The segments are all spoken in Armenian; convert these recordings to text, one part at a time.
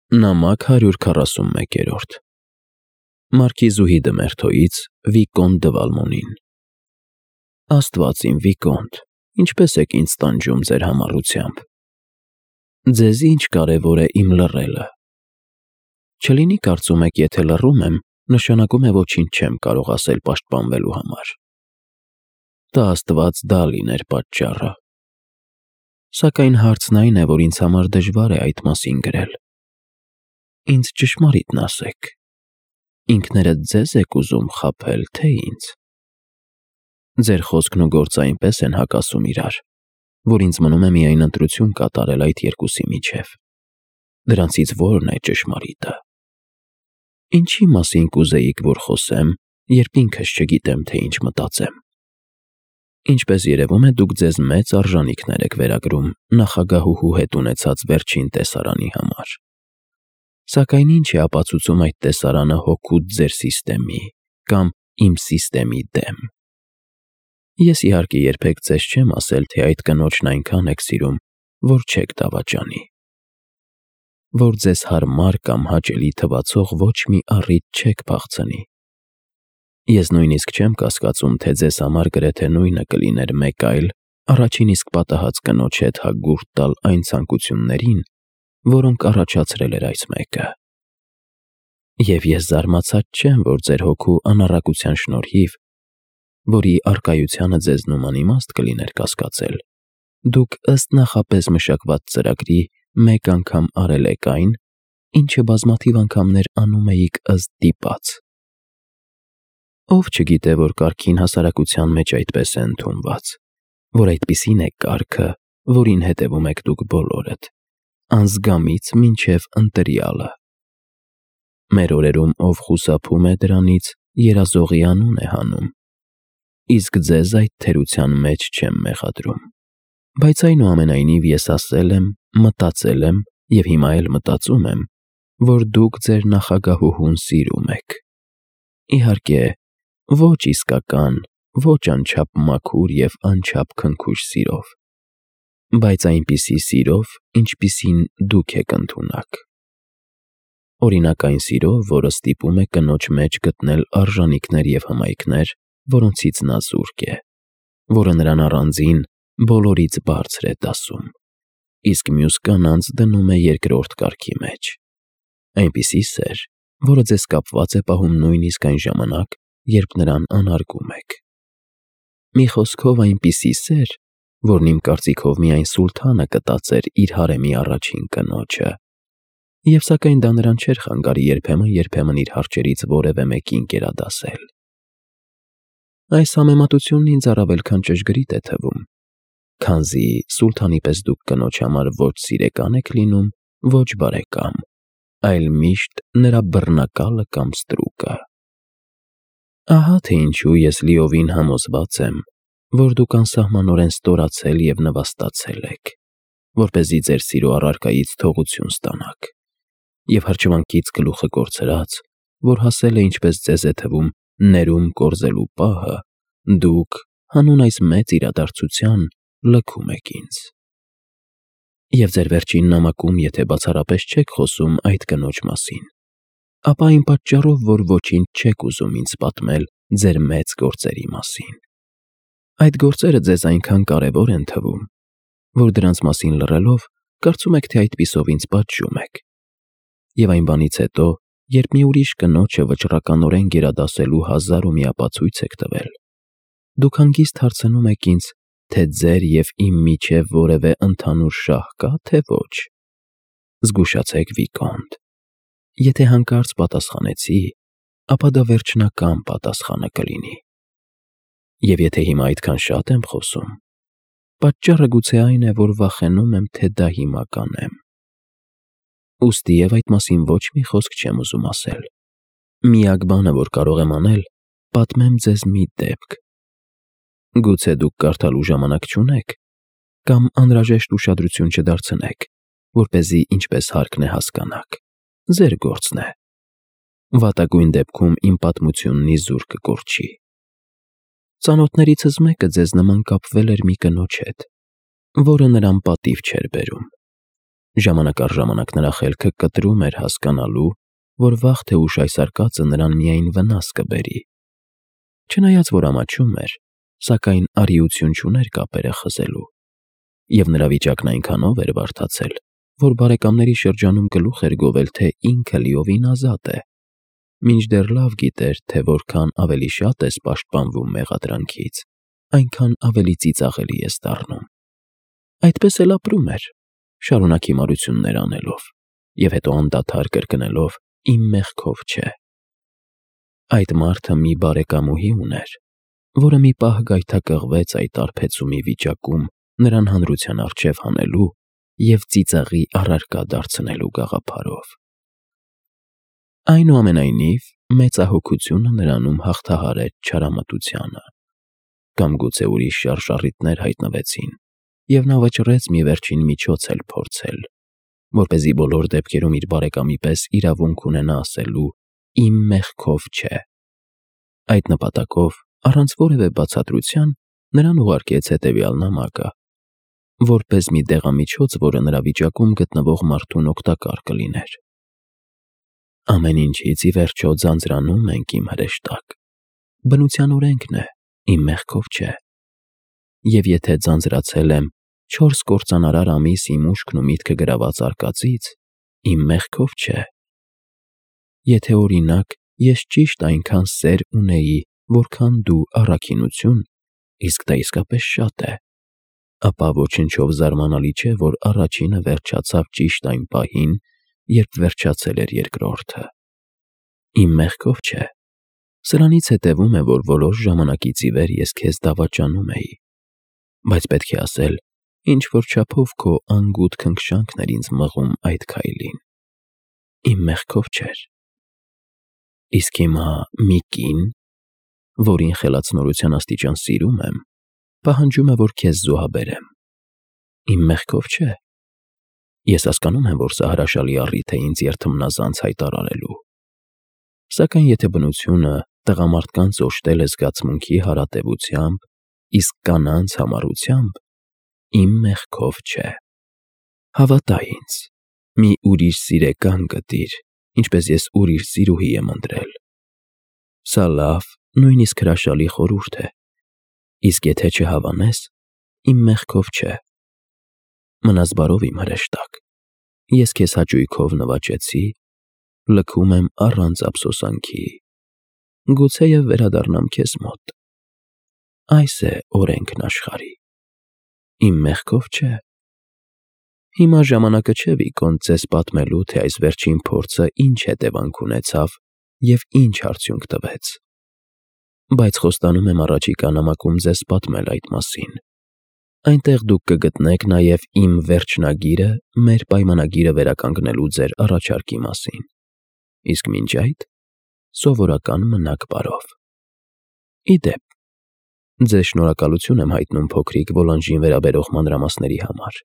Նամակ 141 Մարքիզուհի Դմերթոյից Վիկոնտ դը Վալմոնին Աստված իմ Վիկոնտ, ինչպես եք ինձ տանջում ձեր համառությամբ։ Ձեզ ինչ կարևոր է իմ լռելը։ Չլինի կարծում եք, եթե լռում եմ, նշանակում է ոչինչ չեմ կարող ասել պաշտպանվելու համար։ Տա Աստված դա լիներ պատճառը։ Սակայն հարցն այն է, որ ինձ համար դժվար է այդ մասին գրել։ Ինձ ճշմարիտն ասեք, ինքներդ ձեզ եք ուզում խաբել, թե ինձ։ Ձեր խոսքն ու գործը այնպես են հակասում իրար, որ ինձ մնում է միայն ընտրություն կատարել այդ երկուսի միջև։ Դրանցից որն է ճշմարիտը։ Ինչի մասին կուզեիք, որ խոսեմ, երբ ինքս չգիտեմ, թե ինչ մտածեմ։ Ինչպես երևում է, դուք ձեզ մեծ արժանիքներ եք վերագրում նախագահուհու հետ ունեցած վերջին տեսարանի համար։ Սակայն ինչ է ապացուցում այդ տեսարանը հօգուտ ձեր սիստեմի կամ իմ սիստեմի դեմ։ Ես իհարկե երբեք ձեզ չեմ ասել, թե այդ կնոջն այնքան եք սիրում, որ չեք դավաճանի։ Որ ձեզ հարմար կամ հաճելի թվացող ոչ մի առիթ չեք փախցնի։ Ես նույնիսկ չեմ կասկածում, թե ձեզ համար գրեթե նույնը կլիներ մեկ այլ, առաջին իսկ պատահած կնոջ հետ հագուրդ տալ այն ցանկություններին, որոնք առաջացրել էր այս մեկը։ Եվ ես զարմացած չեմ, որ ձեր հոգու անառակության շնորհիվ, որի առկայությանը ձեզ նման իմաստ կլիներ կասկածել, դուք ըստ նախապես մշակված ծրագրի մեկ անգամ արել եք այն, ինչը բազմաթիվ անգամներ անում էիք ըստ դիպած։ Ով չգիտե, որ կարգին հասարակության մեջ այդպես է ընդունված, որ այդպիսին է կարգը, որին հետևում եք դուք բոլորդ, անզգամից մինչև ընտրյալը։ Մեր օրերում ով խուսափում է դրանից, երազողի անուն է հանում, իսկ ձեզ այդ թերության մեջ չեմ մեղադրում։ Բայց այնուամենայնիվ ես ասել եմ, մտածել եմ և հիմա էլ մտածում եմ, որ դուք ձեր նախագահուհուն սիրում եք։ Իհարկե, ոչ իսկական, ոչ անչափ մաքուր և անչափ քնքուշ սիրով, բայց այնպիսի սիրով, ինչպիսին դուք եք ընդունակ։ Օրինակ այն սիրով, որը ստիպում է կնոջ մեջ գտնել արժանիքներ և հմայքներ, որոնցից նա զուրկ է, որը նրան առանձին բոլորից բարձր է դասում, իսկ մյուս կանանց դնում է երկրորդ կարգի մեջ։ Այնպիսի սեր, որը ձեզ կապված է պահում նույնիսկ այն ժամանակ, երբ նրան անարգում եք։ Մի խոսքով այնպիսի սեր, որն իմ կարծիքով միայն սուլթանը կտածեր իր հարեմի առաջին կնոջը, և սակայն դա նրան չէր խանգարի երբեմն իր հարճերից որևէ մեկին գերադասել։ Այս համեմատությունն ինձ առավել քան ճշգրիտ է թվում, քանզի սուլթանի պես դուք կնոջ համար ոչ սիրեկան եք լինում, ոչ բարեկամ, այլ միշտ նրա բռնակալը կամ ստրուկը։ Ահա թե ինչու ես լիովին համոզված եմ, որ դուք անսահմանորեն ստորացել և նվաստացել եք, որպեսզի ձեր սիրո առարկայից թողություն ստանաք, և հրճվանքից գլուխը կորցրած, որ հասել է, ինչպես ձեզ է թվում, ներում կորզելու պահը, դուք, հանուն այս մեծ իրադարձության, լքում եք ինձ։ Եվ ձեր վերջին նամակում, եթե բացառապես չեք խոսում այդ կնոջ մասին, ապա այն պատճառով, որ ոչինչ չեք ուզում ինձ պատմել ձեր մեծ գործերի մասին։ Այդ գործերը ձեզ այնքան կարևոր են թվում, որ դրանց մասին լռելով, կարծում եք, թե այդպիսով ինձ պատժում եք։ Եվ այն բանից հետո, երբ մի ուրիշ կնոջը վճռականորեն գերադասելու հազար ու մի ապացույց եք տվել, դուք հանգիստ հարցնում եք ինձ, թե ձեր և իմ միջև որևէ ընդհանուր շահ կա, թե ոչ։ Զգուշացեք, Վիկոնտ։ Եթե հանկարծ պատասխանեցի, ապա դա վերջնական պատասխանը կլինի։ Եվ եթե հիմա այդքան շատ եմ խոսում, պատճառը գուցե այն է, որ վախենում եմ, թե դա հիմա կանեմ։ Ուստի և այդ մասին ոչ մի խոսք չեմ ուզում ասել։ Միակ բանը, որ կարող եմ անել, պատմեմ ձեզ մի դեպք։ Գուցե դուք կարդալու ժամանակ չունեք, կամ անհրաժեշտ ուշադրություն չդարձնեք, որպեսզի ինչպես հարկն է հասկանաք։ Ձեր գործն է։ Վատագույն դեպքում իմ պատմությունն իզուր կկորչի։ Ծանոթներիցս մեկը ձեզ նման կապվել էր մի կնոջ հետ, որը նրան պատիվ չէր բերում։ Ժամանակ առ ժամանակ նրա խելքը կտրում էր հասկանալու, որ վաղ թե ուշ այս արկածը նրան միայն վնաս կբերի։ Չնայած որ ամաչում էր, սակայն արիություն չուներ կապերը խզելու, և նրա վիճակն այնքանով էր բարդացել, որ բարեկամների շրջանում գլուխ էր գովել, թե ինքը լիովին ազատ է, մինչդեռ լավ գիտեր, թե որքան ավելի շատ ես պաշտպանվում մեղադրանքից, այնքան ավելի ծիծաղելի ես դառնում։ Այդպես էլ ապրում էր, շարունակ հիմարություններ անելով, և հետո անդադար կրկնելով «իմ մեղքով չէ»։ Այդ մարդը մի բարեկամուհի ուներ, որը մի պահ գայթակղվեց այդ արբեցումի վիճակում նրան հանրության առջև հանելու և ծիծաղի առարկա դարձնելու գաղափարով։ Այնուամենայնիվ, մեծահոգությունը նրանում հաղթահարեց չարամտությանը, կամ գուցե ուրիշ շարժառիթներ հայտնվեցին, և նա վճռեց մի վերջին միջոց էլ փորձել, որպեսզի բոլոր դեպքերում իր բարեկամի պես իրավունք ունենա ասելու «իմ մեղքով չէ»։ Այդ նպատակով, առանց որևէ բացատրության, նրան ուղարկեց հետևյալ նամակը, որպես մի դեղամիջոց, որը նրա վիճակում գտնվող մարդուն օգտակար կլիներ։ Ամեն ինչից ի վերջո ձանձրանում ենք, իմ հրեշտակ, բնության օրենքն է, իմ մեղքով չէ։ Եվ եթե ձանձրացել եմ 4 կործանարար ամիս իմ ուշքն ու միտքը գրաված արկածից, իմ մեղքով չէ։ Եթե օրինակ ես ճիշտ այնքան սեր ունեի, որքան դու առաքինություն, իսկ դա իսկապես շատ է, ապա ոչնչով զարմանալի չէ, որ առաջինը վերջացավ ճիշտ այն պահին, երբ վերջացել էր երկրորդը։ Իմ մեղքով չէ։ Սրանից հետևում է, որ որոշ ժամանակից ի վեր ես քեզ դավաճանում էի, բայց պետք է ասել, ինչ-որ չափով քո անգութ քնքշանքն էր ինձ մղում այդ քայլին։ Իմ մեղքով չէր։ Իսկ հիմա մի կին, որին խելացնորության աստիճան սիրում եմ, պահանջում է, որ քեզ զոհաբերեմ։ Իմ մեղքով չէ։ Ես հասկանում եմ, որ սա հրաշալի առիթ է ինձ երդմնազանց հայտարարելու։ Սակայն եթե բնությունը տղամարդկանց օժտել է զգացմունքի հարատևությամբ, իսկ կանանց համառությամբ, իմ մեղքով չէ։ Հավատա ինձ, մի ուրիշ սիրեկան գտիր, ինչպես ես ուրիշ սիրուհի եմ ընտրել։ Սա լավ, նույնիսկ հրաշալի խորհուրդ է, իսկ եթե չհավանես, իմ մեղքով չէ։ Մնաս բարով, իմ հրեշտակ, ես քեզ հաճույքով նվաճեցի, լքում եմ առանց ափսոսանքի, գուցեև վերադառնամ քեզ մոտ։ Այս է օրենքն աշխարհի։ Իմ մեղքով չէ։ Հիմա ժամանակը չէ, Վիկոնտ, ձեզ պատմելու, թե այս վերջին փորձը ինչ հետևանք ունեցավ և ինչ արդյունք տվեց։ Բայց խոստանում եմ առաջիկա նամակում ձեզ պատմել այդ մասին։ Այնտեղ դուք կգտնեք նաև իմ վերջնագիրը մեր պայմանագիրը վերականգնելու ձեր առաջարկի մասին։ Իսկ մինչ այդ, սովորական մնաք բարով։ Ի դեպ, ձեզ շնորհակալություն եմ հայտնում փոքրիկ Վոլանժին վերաբերող մանրամասների համար։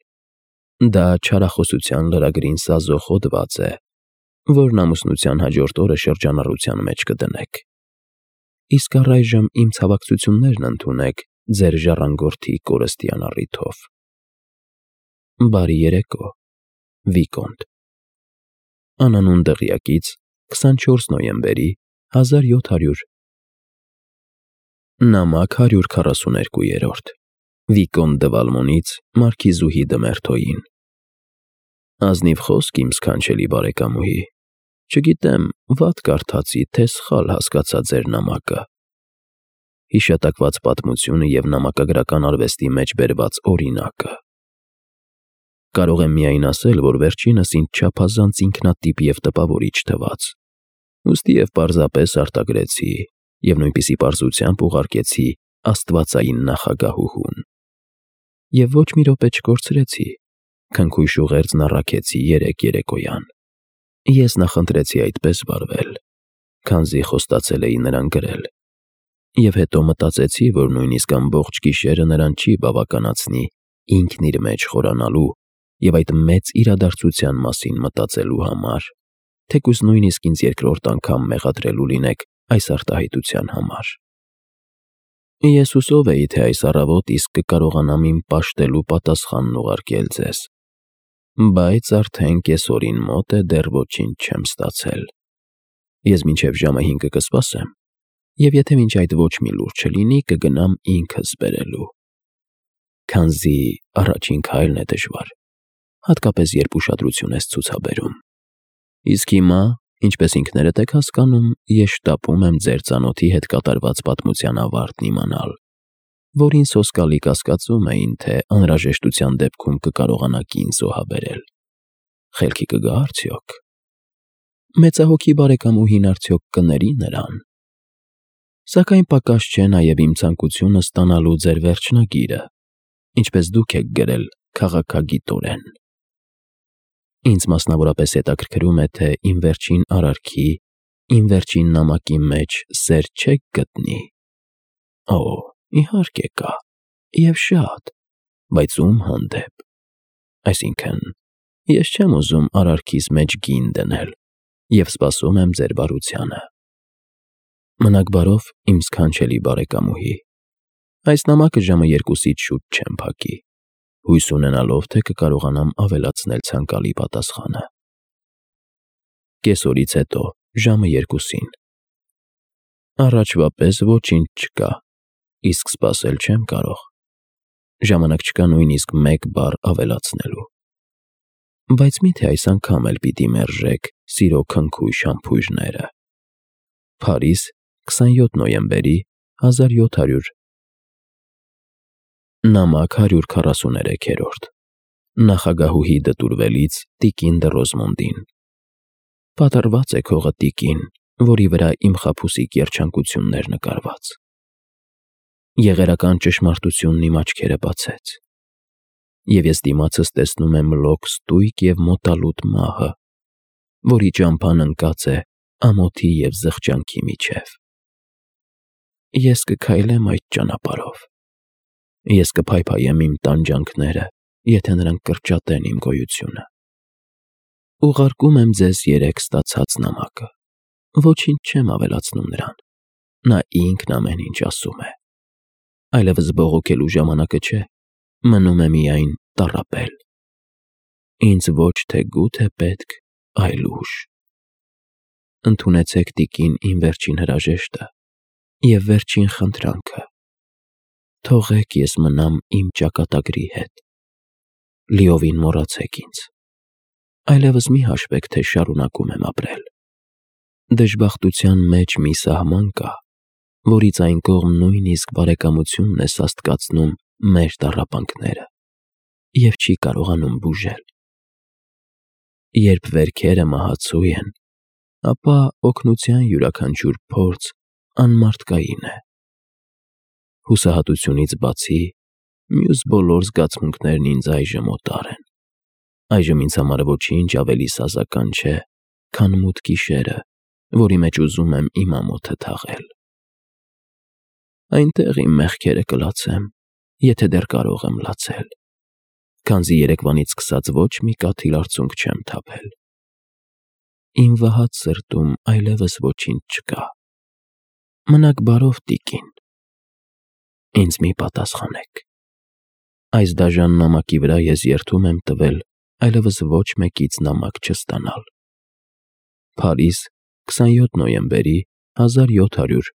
Դա չարախոսության լրագրին սազող հոդված է, որն ամուսնության հաջորդ օրը շրջանառության մեջ կդնեք։ Իսկ առայժմ իմ ցավակցություններն ընդունեք ձեր ժառանգորդի կորստյան առիթով։ Բարի երեկո, Վիկոնտ։ Անանուն դղյակից 24 նոյեմբերի 1700 Նամակ 142 Վիկոնտ դը Վալմոնից մարքիզուհի դը Մերթոյին։ Ազնիվ խոսք, իմ սքանչելի բարեկամուհի, չգիտեմ, վատ կարդացի, թե սխալ հասկացա ձեր նամակը։ Հիշատակված պատմությունը և նամակագրական արվեստի մեջ բերված օրինակը։ Կարող եմ միայն ասել, որ վերջինս ինձ չափազանց ինքնատիպ և տպավորիչ թվաց, ուստի և պարզապես արտագրեցի և նույնպիսի պարզությամբ ուղարկեցի աստվածային նախագահուհուն։ Եվ ոչ մի րոպե չկորցրեցի, քնքույշ ուղերձն առաքեցի երեկոյան։ Ես նախընտրեցի այդպես վարվել, քանզի խոստացել էի նրան գրել, և հետո մտածեցի, որ նույնիսկ ամբողջ գիշերը նրան չի բավականացնի ինքն իր մեջ խորանալու և այդ մեծ իրադարձության մասին մտածելու համար, թեկուզ նույնիսկ ինձ երկրորդ անգամ մեղադրելու լինեք այս արտահայտության համար։ Ես հուսով էի, թե այս առավոտ իսկ կկարողանամ իմ պաշտելու պատասխանն ուղարկել ձեզ։ բայց արդեն կեսօրին մոտ է, դեռ ոչինչ չեմ ստացել։ Ես մինչև ժամը 5 կսպասեմ, և եթե մինչ այդ ոչ մի լուր չլինի, կգնամ ինքս բերելու։ Քանզի առաջին քայլն է դժվար, հատկապես երբ ուշադրություն ես ցուցաբերում։ Իսկ հիմա, ինչպես ինքներդ եք հասկանում, ես շտապում եմ ձեր ծանոթի հետ կատարված պատմության ավարտն իմանալ, որին սոսկալի կասկածում էին, թե անհրաժեշտության դեպքում կկարողանա կին զոհաբերել։ Խելքի կգա արդյոք։ Մեծահոգի բարեկամուհին արդյոք կների նրան։ Սակայն պակաս չէ նաև իմ ցանկությունը ստանալու ձեր վերջնագիրը, ինչպես դուք եք գրել քաղաքագիտորեն։ Ինձ մասնավորապես հետաքրքրում է, թե իմ վերջին արարքի, իմ վերջին նամակի մեջ սեր չեք գտնի։ Օ, իհարկե կա, և շատ, բայց ում հանդեպ։ Այսինքն, ես չեմ ուզում արարքիս մեջ գին դնել և սպասում եմ ձեր բարությանը։ Մնաք բարով, իմ սքանչելի բարեկամուհի։ Այս նամակը ժամը 2-ից շուտ չեմ փակի, հույս ունենալով, թե կկարողանամ ավելացնել ցանկալի պատասխանը։ Կեսօրից հետո, ժամը 2-ին։ Առաջվա պես ոչինչ չկա, իսկ սպասել չեմ կարող։ Ժամանակ չկա նույնիսկ մեկ բառ ավելացնելու։ Բայց միթե այս անգամ էլ պիտի մերժեք սիրո քնքույշ համբույրները։ Փարիզ, 27 նոյեմբերի 1700։ Նամակ 143-րդ։ Նախագահուհի դտուրվելից տիկին դը Ռոզմոնդին։ Պատառված է քողը տիկին, որի վրա իմ խաբուսիկ երջանկությունն էր նկարված։ Եղերական ճշմարտությունն իմ աչքերը բացեց, և ես դիմացս տեսնում եմ լոկ ստույգ և մոտալուտ մահը, որի ճամփան ընկած է ամոթի և զղջանքի միջև։ Ես կքայլեմ այդ ճանապարհով։ Ես կփայփայեմ իմ տանջանքները, եթե նրանք կրճատեն իմ գոյությունը։ Ուղարկում եմ ձեզ 3 ստացած նամակը։ Ոչինչ չեմ ավելացնում նրան։ Նա ինքն ամեն ինչ ասում է։ Այլևս բողոքելու ժամանակը չէ, մնում է միայն տառապել։ Ինձ ոչ թե գութ է պետք, այլ ուժ։ Ընդունեցեք տիկին իմ վերջին հրաժեշտը և վերջին խնդրանքը։ Թողեք ես մնամ իմ ճակատագրի հետ։ Լիովին մոռացեք ինձ։ Այլևս մի հաշվեք, թե շարունակում եմ ապրել։ Դժբախտության մեջ մի սահման կա, որից այն կողմ նույնիսկ բարեկամությունն է սաստկացնում մեր տառապանքները և չի կարողանում բուժել։ Երբ վերքերը մահացու են, ապա օգնության յուրաքանչյուր փորձ անմարդկային է։ Հուսահատությունից բացի, մյուս բոլոր զգացմունքներն ինձ այժմ օտար են։ Այժմ ինձ համար ոչինչ ավելի սազական չէ, քան մութ գիշերը, որի մեջ ուզում եմ իմ ամոթը թաղել։ Այնտեղ իմ մեղքերը կլացեմ, եթե դեռ կարող եմ լացել, քանզի երեկվանից սկսած ոչ մի կաթիլ արցունք չեմ թափել։ Իմ վհած սրտում այլևս ոչինչ չկա։ Մնաք բարով, տիկին։ Ինձ մի պատասխանեք։ Այս դաժան նամակի վրա ես երդում եմ տվել այլևս ոչ մեկից նամակ չստանալ։ Փարիզ, 27 նոյեմբերի 1700